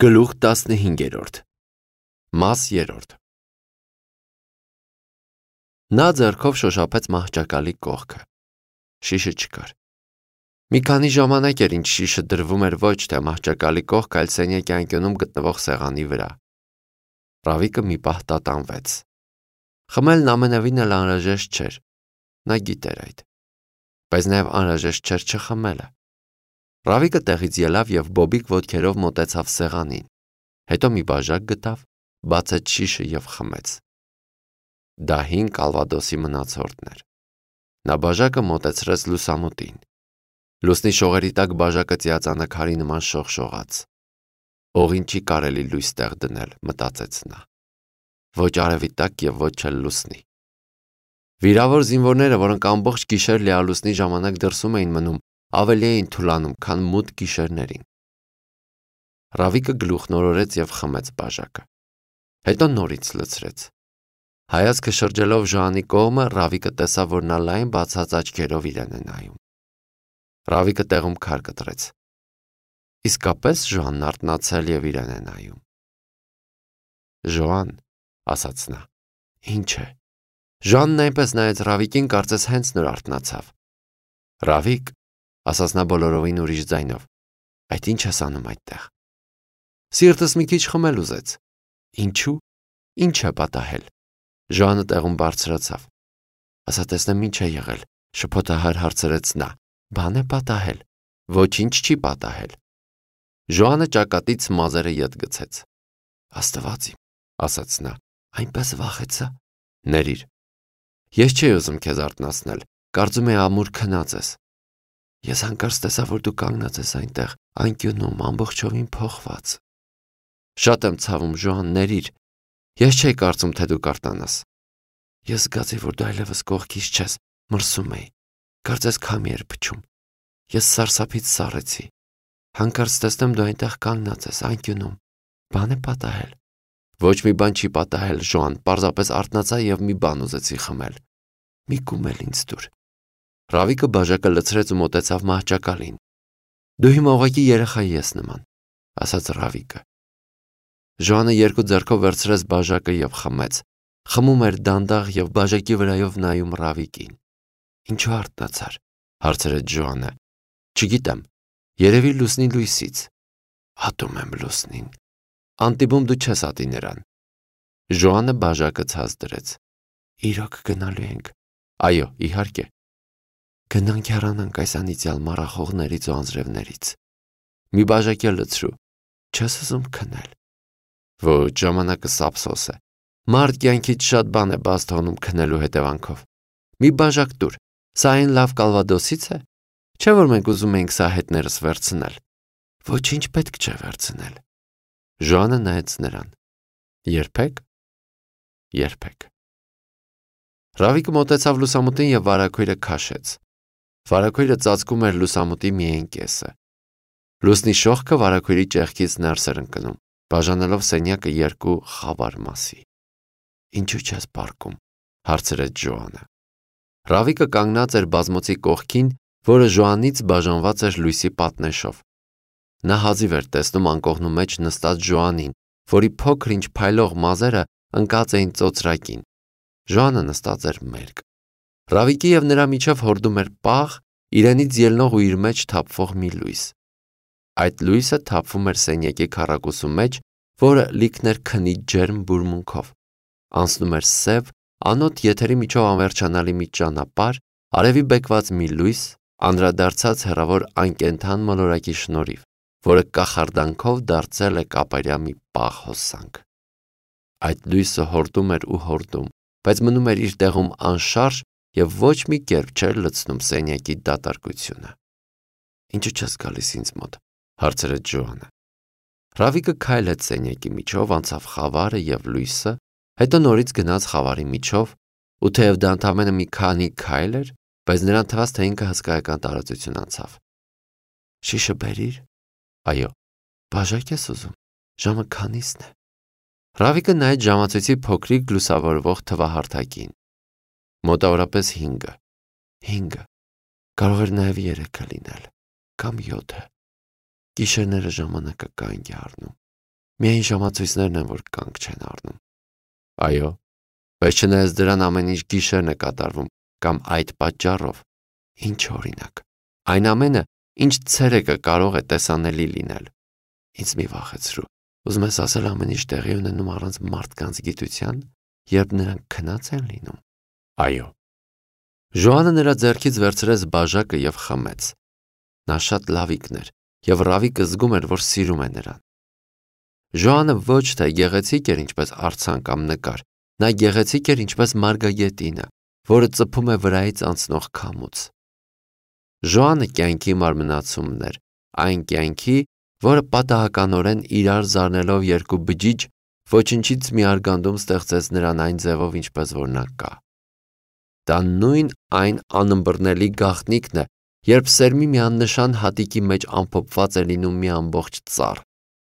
Գլուխ 15 Մաս 3 Նա ձեռքով շոշափեց մահճակալի կողքը։ Շիշը չկար։ Մի քանի ժամանակ էր ինչ շիշը դրվում էր ոչ թե մահճակալի կողք, այլ սենյակի անկյունում գտնվող սեղանի վրա։ Ռավիկը մի պահ տատանվեց։ Խմելն ամենևին էլ անհրաժեշտ չէր։ Նա գիտեր այդ։ Բայց նաև անհրաժեշտ չէր չխմելը։ Ռավիկը տեղից ելավ և բոբիկ ոտքերով մոտեցավ սեղանին, հետո մի բաժակ գտավ, բացեց շիշը և խմեց։ Դա հին կալվադոսի մնացորդն էր։ Նա բաժակը մոտեցրեց լուսամուտին։ Լուսնի շողերի տակ բաժակը ծիածանաքարի նման շողշողաց։ Օղին չի կարելի լույս տեղ դնել, մտածեց նա։ Ոչ արևի տակ և ոչ էլ լուսնի։ Վիրավոր զինվորները, որոնք ամբողջ գիշեր լիալուսնի ժամանակ դրսում էին մնում, ավելի էին թուլանում, քան մութ գիշերներին։ Ռավիկը գլուխնորորեց և խմեց բաժակը։ Հետո նորից լցրեց։ Հայացքը շրջելով Ժոանի կողմը, Ռավիկը տեսավ, որ նա լայն բացած աչքերով իրեն է նայում։ Ռավիկը տեղում քար կտրեց։ Իսկապես Ժոանն արթնացել և իրեն է նայում։ Ժոան, ասաց նա, ինչ է։ Ժոանն այնպես նայեց Ռավիկին, կարծես հենց նոր արթնացավ։ Ռավիկ, ասաց նա բոլորովին ուրիշ ձայնով, այդ ինչ ես անում այդտեղ։ Սիրտս մի քիչ խմել ուզեց։ Ինչու՞։ Ինչ է պատահել։ Ժոանը տեղում բարձրացավ։ Ասա տեսնեմ ինչ է եղել, շփոթահար հարցրեց նա։ Բան է պատահել։ Ոչինչ չի պատահել։ Ժոանը ճակատից մազերը ետ գցեց։ Աստված իմ, ասաց նա, այնպես վախեցա։ Ներիր։ Ես չէի ուզում քեզ արթնացնել, կարծում էի ամուր քնած ես։ Ես հանկարծ տեսա, որ դու կանգնած ես այնտեղ, անկյունում, ամբողջովին փոխված։ Շատ եմ ցավում, Ժոան, ներիր։ Ես չէի կարծում, թե դու կարտանաս։ Ես զգացի, որ դու այլևս կողքից չես, մրսում էի։ Կարծես քամի էր փչում։ Ես սարսափից սառեցի։ Հանկարծ տեսնեմ դու այնտեղ կանգնած ես, անկյունում։ Բան է պատահել։ Ոչ մի բան չի պատահել, Ժոան, պարզապես արթնացա և մի բան ուզեցի խմել։ Մի կում էլ ինձ տուր։ Ռավիկը բաժակը լցրեց ու մոտեցավ մահճակալին։ Դու հիմա ուղղակի երեխայի ես նման, ասաց Ռավիկը։ Ժոանը երկու ձեռքով վերցրեց բաժակը և խմեց։ Խմում էր դանդաղ և բաժակի վրայով նայում Ռավիկին։ Ինչու արթնացար, հարցրեց Ժոանը։ Չգիտեմ, երևի լուսնի լույսից։ Ատում եմ լուսնին։ Անտիպում դու չես ատի նրան։ Ժոանը բաժակը ցած դրեց։ Իրոք գնալու ենք։ Այո, իհարկե։ Գնանք հեռանանք այս անիծյալ մառախողներից ու անձրևներից։ Մի բաժակ էլ լցրու։ Չես ուզում քնել։ Ոչ, ժամանակը սափսոս է։ Մարդ կյանքից շատ բան է բաց թողնում քնելու հետևանքով։ Մի բաժակ տուր։ Սա այն լավ կալվադոսից է։ Չէ՞ որ մենք ուզում էինք սա հետներս վերցնել։ Ոչինչ պետք չէ վերցնել։ Ժոանը նայեց նրան։ Երբեք։ Երբեք։ Ռավիկը մոտեցավ լուսամուտին և վարագույրը քաշեց։ Վարագույրը ծածկում էր լուսամուտի միայն կեսը։ Լուսնի շողքը վարագույրի ճեղքից ներս էր ընկնում, բաժանելով սենյակը երկու խավար մասի։ Ինչու չես պառկում, հարցրեց Ժոանը։ Ռավիկը կանգնած էր բազմոցի կողքին, որը Ժոանից բաժանված էր լույսի պատնեշով։ Նա հազիվ էր տեսնում անկողնու մեջ նստած Ժոանին, որի փոքր-ինչ փայլող մազերը ընկած էին ծոծրակին։ Ժոանը նստած էր մերկ։ Ռավիկի և նրա միջև հորդում էր պաղ, իրենից ելնող ու իր մեջ թափվող մի լույս։ Այդ լույսը թափվում էր սենյակի քառակուսու մեջ, որը լիքն էր քնի ջերմ բուրմունքով։ Անցնում էր սև, անոտ եթերի միջով անվերջանալի մի ճանապարհ, արևի բեկված մի լույս, անդրադարձած հեռավոր անկենդան մոլորակի շնորհիվ, որը կախարդանքով դարձել է կապարյա մի պաղ հոսանք։ Այդ լույսը հորդում էր ու հորդում, բայց մնում էր իր տեղում անշարժ և ոչ մի կերպ չէր լցնում սենյակի դատարկությունը։ Ինչու չես գալիս ինձ մոտ, հարցրեց Ժոանը։ Ռավիկը քայլեց սենյակի միջով, անցավ խավարը և լույսը, հետո նորից գնաց խավարի միջով, ու թեև դա ընդամենը մի քանի քայլ էր, բայց նրան թվաց, թե ինքը հսկայական տարածություն անցավ։ Շիշը բերիր։ Այո, բաժակ ես ուզում։ Ժամը քանիսն է։ Ռավիկը նայեց ժամացույցի փոքրիկ լուսավորվող թվահարթակին։ Մոտավորապես 5-ը։ 5-ը։ Կարող էր նաև 3-ը լինել, կամ 7-ը։ Գիշերները ժամանակը կանգ է առնում։ Միայն ժամացույցներն են, որ կանգ չեն առնում։ Այո, բայց չնայած դրան ամեն ինչ գիշերն է կատարվում, կամ այդ պատճառով, ինչ օրինակ, այն ամենը, ինչ ցերեկը կարող է տեսանելի լինել։ Ինձ մի վախեցրու, ուզում ես ասել ամեն ինչ տեղի ունենում առանց մարդկանց գիտության, երբ նրանք քնած են լինում։ Այո։ Ժոանը նրա ձեռքից վերցրեց բաժակը և խմեց։ Նա շատ լավիկն էր, և Ռավիկը զգում էր, որ սիրում է նրան։ Ժոանը ոչ թե գեղեցիկ էր ինչպես արձան կամ նկար, նա գեղեցիկ էր ինչպես մարգագետինը, որը ծփում է վրայից անցնող քամուց։ Ժոանը կյանքի մարմնացումն էր, այն կյանքի, որը պատահականորեն իրար զարնելով երկու բջիջ, ոչնչից մի արգանդում ստեղծեց նրան այն ձևով, ինչպես որ նա կա։ Դա նույն այն անըմբռնելի գաղտնիքն է, երբ սերմի մի աննշան հատիկի մեջ ամփոփված է լինում մի ամբողջ ծառ,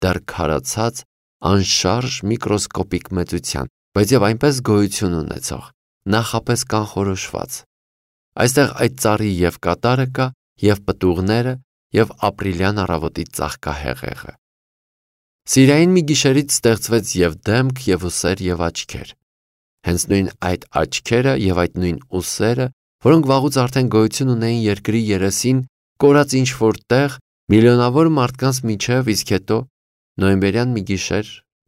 դեռ քարացած, անշարժ միկրոսկոպիկ մեծության, բայց եւ այնպես գոյություն ունեցող, նախապես կանխորոշված։ Այստեղ այդ ծառի եւ կատարը կա, եւ պտուղները, եւ ապրիլյան առավոտի ծաղկահեղեղը։ Սիրային մի գիշերից ստեղծվեց եւ դեմք, եւ ուսեր, եւ աչքեր։ Հենց նույն այդ աչքերը եւ այդ նույն ուսերը, որոնք վաղուց արդեն գոյություն ունեին երկրի երեսին, կորած ինչ-որ տեղ, միլիոնավոր մարդկանց միջև, իսկ հետո նոյեմբերյան մի գիշեր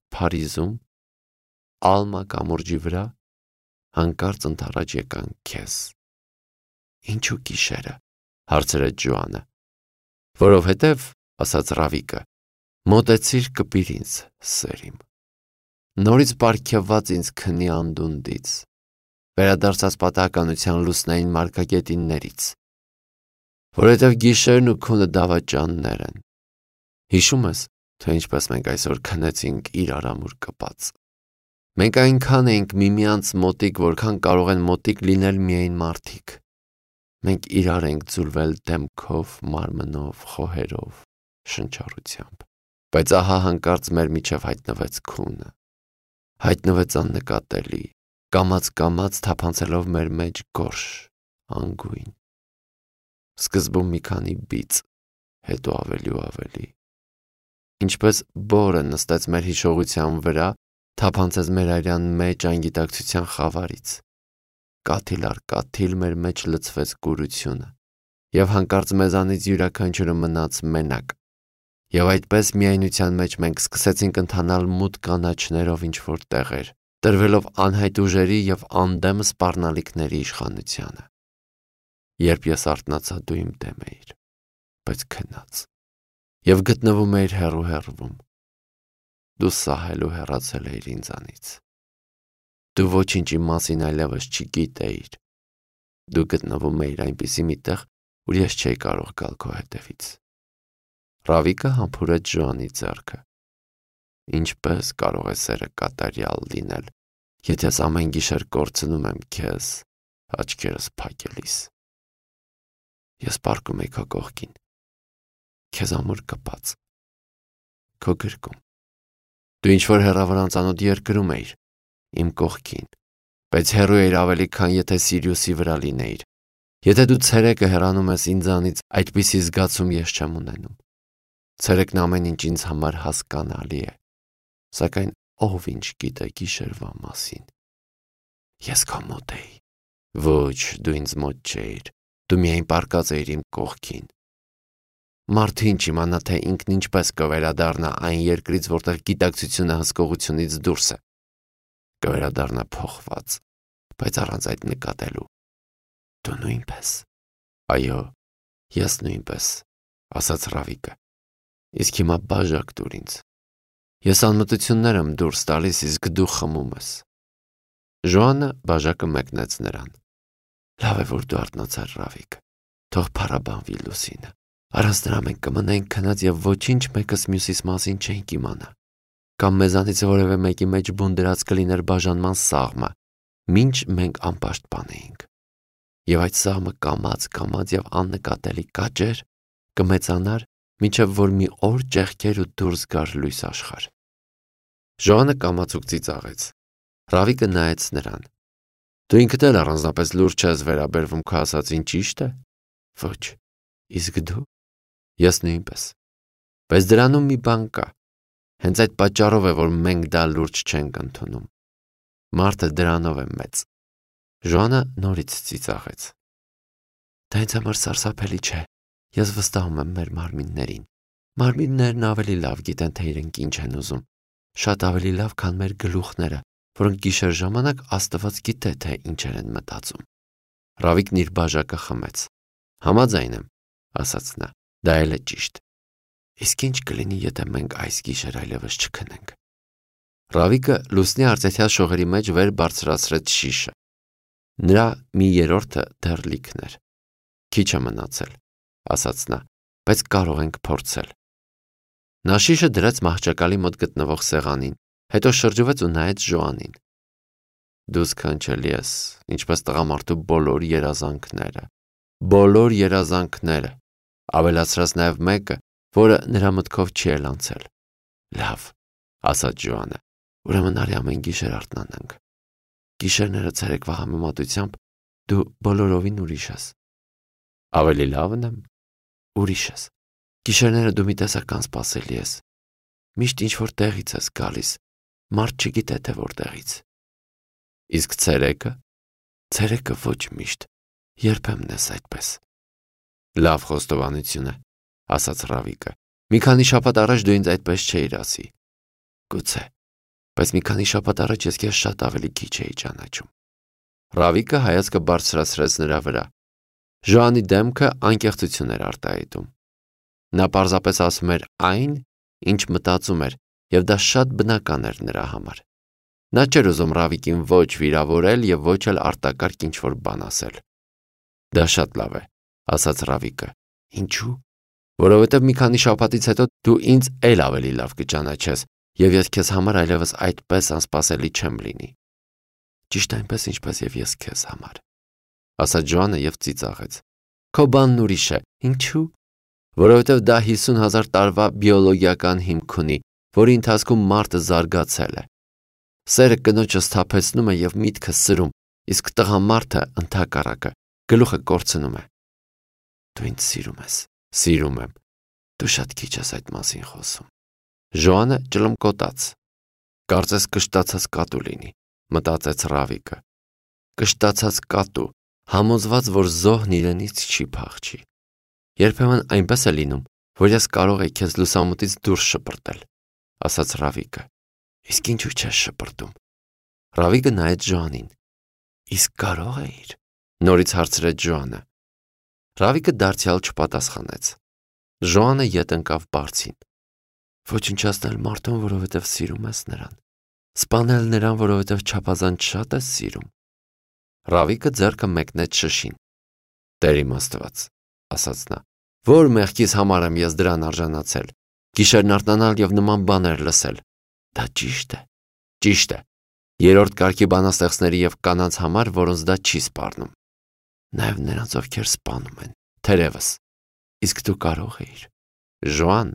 Փարիզում, Ալմա կամուրջի վրա, հանկարծ ընդառաջ եկան քեզ։ Ինչու գիշերը, հարցրեց Ժոանը։ Որովհետև, ասաց Ռավիկը, մոտեցիր կպիր ինձ, սերիմ։ Նորից պարգևված ինձ քնի անդունդից, վերադարձած պատահականության լուսնային մարգագետիններից, որովհետև գիշերն ու քունը դավաճաններ են։ Հիշում ես, թե ինչպես մենք այսօր քնեցինք իրար ամուր կպած։ Մենք այնքան էինք միմյանց մոտիկ, որքան կարող են մոտիկ լինել միայն մարդիկ։ Մենք իրար ենք ձուլվել դեմքով, մարմնով, խոհերով, շնչառությամբ։ Բայց ահա հանկարծ մեր միջև հայտնվեց քունը։ Հայտնվեց աննկատելի, կամաց թափանցելով մեր մեջ գորշ, անգույն։ Սկզբում մի քանի բիծ, հետո ավելի ու ավելի։ Ինչպես բորը նստեց մեր հիշողության վրա, թափանցեց մեր արյան մեջ անգիտակցության խավարից։ Կաթիլ առ կաթիլ մեր մեջ լցվեց կուրությունը, և հանկարծ մեզանից յուրաքանչյուրը մնաց մենակ, և այդպես միայնության մեջ մենք սկսեցինք ընթանալ մութ կանաչներով ինչ-որ տեղեր, տրվելով անհայտ ուժերի և անդեմ սպառնալիքների իշխանությանը։ Երբ ես արթնացա, դու իմ դեմ էիր, բայց քնած, և գտնվում էիր հեռու-հեռվում։ Դու սահել ու հեռացել էիր ինձանից։ Դու ոչինչ իմ մասին այլևս չգիտեիր։ Դու գտնվում էիր այնպիսի մի տեղ, ուր ես չէի կարող գալ քո հետևից։ Ռավիկը համբուրեց Ժոանի ձեռքը։ Ինչպես կարող է սերը կատարյալ լինել, եթե ես ամեն գիշեր կորցնում եմ քեզ, աչքերս փակելիս։ Ես պառկում էի քո կողքին, քեզ ամուր կպած, քո գրկում։ Դու ինչ-որ հեռավոր անծանոթ երկրում էիր, իմ կողքին, բայց հեռու էիր ավելի, քան եթե Սիրիուսի վրա լինեիր։ Եթե դու ցերեկը հեռանում ես ինձանից, այդպիսի զգացում ես չեմ ունենում։ Ցերեկն ամեն ինչ ինձ համար հասկանալի է, սակայն ով ինչ գիտե գիշերվա մասին։ Ես քո մոտ էի։ Ոչ, դու ինձ մոտ չէիր, դու միայն պառկած էիր իմ կողքին։ Մարդը ինչ իմանա, թե ինքն ինչպես կվերադառնա այն երկրից, որտեղ գիտակցությունը հսկողությունից դուրս է։ Կվերադառնա փոխված, բայց առանց այդ նկատելու։ Դու նույնպես։ Այո, ես նույնպես, ասաց Ռավիկը։ Իսկ հիմա բաժակ տուր ինձ։ Ես անմտություններ եմ դուրս տալիս, իսկ դու խմում ես։ Ժոանը բաժակը մեկնեց նրան։ Լավ է, որ դու արթնացար, Ռավիկ։ Թող փառաբանվի լուսինը։ Առանց դրա մենք կմնայինք քնած և ոչինչ մեկս մյուսիս մասին չենք իմանա։ Կամ մեզանից որևէ մեկի մեջ բուն դրած կլիներ բաժանման սաղմը, մինչ մենք անպաշտպան էինք։ Եվ այդ սաղմը կամաց և աննկատելի կաճեր, կմեծանար, մինչև որ մի օր ճեղքեր ու դուրս գար լույս աշխարհ։ Ժոանը կամացուկ ծիծաղեց։ Ռավիկը նայեց նրան։ Դու ինքդ էլ առանձնապես լուրջ չես վերաբերվում քո ասածին, ճիշտ է։ Ոչ, իսկ դու։ Ես նույնպես։ Բայց դրանում մի բան կա։ Հենց այդ պատճառով է, որ մենք դա լուրջ չենք ընդունում։ Մարդը դրանով է մեծ։ Ժոանը նորից ծիծաղեց։ Դա ինձ համար սարսափելի չէ։ Ես վստահում եմ մեր մարմիններին։ Մարմիններն ավելի լավ գիտեն, թե իրենք ինչ են ուզում։ Շատ ավելի լավ, քան մեր գլուխները, որոնք գիշեր ժամանակ Աստված գիտե, թե ինչեր են մտածում։ Ռավիկն իր բաժակը խմեց։ Համաձայն եմ, ասաց նա, դա էլ է ճիշտ։ Իսկ ինչ կլինի, եթե մենք այս գիշեր այլևս չքնենք։ Ռավիկը լուսնի արծեթյալ շողերի մեջ վեր բարձրացրեց շիշը։ Նրա մի երրորդը դեռ լիքն էր։ Քիչ է մնացել, ասաց նա, բայց կարող ենք փորձել։ Նա շիշը դրեց մահճակալի մոտ գտնվող սեղանին, հետո շրջվեց ու նայեց Ժոանին։ Դու սքանչելի ես, ինչպես տղամարդու բոլոր երազանքները, ավելացրած նաև մեկը, որը նրա մտքով չի էլ անցել։ Լավ, ասաց Ժոանը, ուրեմն արի ամեն գիշեր արթնանանք։ Գիշերները ցերեկվա համեմատությամբ դու բոլորովին ուրիշ ես։ Ավելի լավն եմ, ուրիշ ես։ Գիշերները դու մի տեսական սպասելի ես։ Միշտ ինչ-որ տեղից ես գալիս, մարդ չգիտե թե որտեղից։ Իսկ ցերեկը։ Ցերեկը ոչ միշտ, երբեմն ես այդպես։ Լավ խոստովանություն է, ասաց Ռավիկը։ Մի քանի շաբաթ առաջ դու ինձ այդպես չէիր ասի։ Գուցե, բայց մի քանի շաբաթ առաջ ես քեզ շատ ավելի քիչ էի ճանաչում։ Ռավիկը հայացքը բարձրացրեց նրա վրա։ Ժոանի դեմքը անկեղծություն էր արտահայտում։ Նա պարզապես ասում էր այն, ինչ մտածում էր, եւ դա շատ բնական էր նրա համար։ Նա չէր ուզում Ռավիկին ոչ վիրավորել եւ ոչ էլ արտակարգ ինչ-որ բան ասել։ Դա շատ լավ է, ասաց Ռավիկը։ Ինչու՞։ Որովհետև մի քանի շաբաթից հետո դու ինձ էլ ավելի լավ կճանաչես, եւ ես քեզ համար այլևս այդպես անսպասելի չեմ լինի։ Ճիշտ այնպես, ինչպես եւ ես քեզ համար, ասաց Ժոանը եւ ծիծաղեց։ Քո բանն ուրիշ է։ Ինչու՞։ Որովհետև դա 50,000 տարվա բիոլոգիական հիմք ունի, որի ընթացքում մարդը զարգացել է։ Սերը կնոջը սթափեցնում է եւ միտքը սրում, իսկ տղամարդը ընդհակառակը գլուխը կորցնում է։ Դու ինձ սիրում ես։ Սիրում եմ։ Դու շատ քիչ ես այդ մասին խոսում։ Ժոանը ճլմկոտաց։ Կարծես կշտացած կատու լինի, մտածեց Ռավիկը։ Կշտացած կատու, համոզված, որ զոհն իրենից չի փախչի։ Երբեմն այնպես է լինում, որ ես կարող եի քեզ լուսամուտից դուրս շպրտել, ասաց Ռավիկը։ Իսկ ինչու չես շպրտում։ Ռավիկը նայեց Ժոանին։ Իսկ կարող էիր։ Նորից հարցրեց Ժոանը։ Ռավիկը դարձյալ չպատասխանեց։ Ժոանը ետ ընկավ բարձին։ Ոչնչացնել մարդուն, որովհետև սիրում ես նրան։ Սպանել նրան, որովհետև չափազանց շատ ես սիրում։ Ռավիկը ձեռքը մեկնեց շշին։ Տեր իմ Աստված, ասաց նա, որ մեղքիս համար եմ ես դրան արժանացել։ Գիշերն արթնանալ եւ նման բաներ լսել։ Դա ճիշտ է։ Ճիշտ է։ Երրորդ կարգի բանաստեղծների եւ կանանց համար, որոնց դա չի սպառնում։ Նաեւ նրանց, ովքեր սպանում են, թերևս։ Իսկ դու կարող էիր։ Ժոան,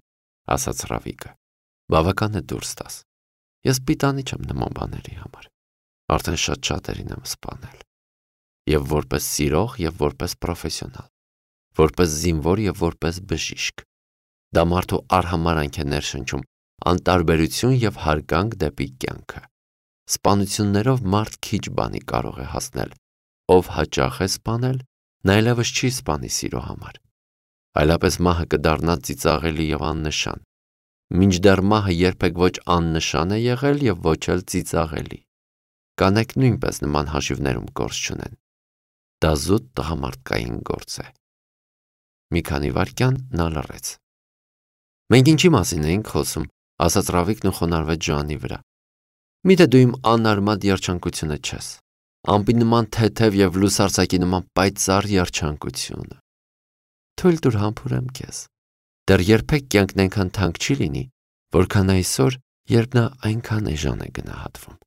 ասաց Ռավիկը, բավական է դուրս տաս։ Ես պիտանի չեմ նման բաների համար։ Արդեն շատ շատերին եմ սպանել։ Եվ որպես սիրող, եւ որպես պրոֆեսիոնալ, որպես զինվոր եւ որպես բժիշկ։ Դա մարդու արհամարանք է ներշնչում, անտարբերություն եւ հարգանք դեպի կյանքը։ Սպանություններով մարդ քիչ բանի կարող է հասնել։ Ով հաճախ է սպանել, նա այլևս չի սպանի սիրո համար։ Այլապես մահը կդառնա ծիծաղելի եւ աննշան։ Մինչդեռ մահը երբեք ոչ աննշան է եղել եւ ոչ էլ ծիծաղելի։ Կանայք նույնպես նման հաշիվներում գործ չունեն։ Դա զուտ տղամարդկային գործ է։ Մի քանի վայրկյան նա լռեց։ Մենք ինչի մասին էինք խոսում, ասաց Ռավիկն ու խոնարհվեց Ժոանի վրա։ Միթե դու իմ անարմատ երջանկությունը չես։ Ամպի նման թեթև եւ լուսարցակի նման պայծառ երջանկությունը։ Թույլ տուր համբուրեմ քեզ։ Դեռ երբեք կյանքն այնքան թանկ չի լինի, որքան այսօր, երբ նա այնքան էժան է գնահատվում։